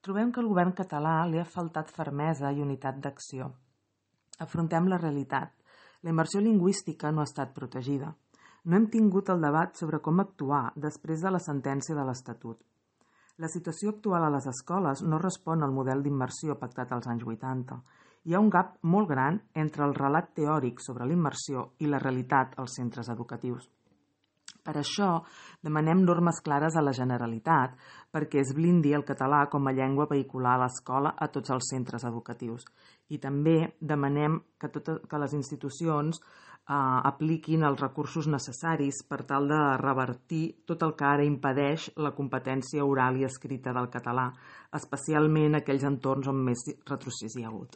Trobem que al govern català li ha faltat fermesa i unitat d'acció. Afrontem la realitat. La immersió lingüística no ha estat protegida. No hem tingut el debat sobre com actuar després de la sentència de l'Estatut. La situació actual a les escoles no respon al model d'immersió pactat als anys 80. Hi ha un gap molt gran entre el relat teòric sobre la immersió i la realitat als centres educatius. Per això demanem normes clares a la Generalitat perquè es blindi el català com a llengua vehicular a l'escola a tots els centres educatius. I també demanem que les institucions apliquin els recursos necessaris per tal de revertir tot el que ara impedeix la competència oral i escrita del català, especialment en aquells entorns on més retrocés hi ha hagut.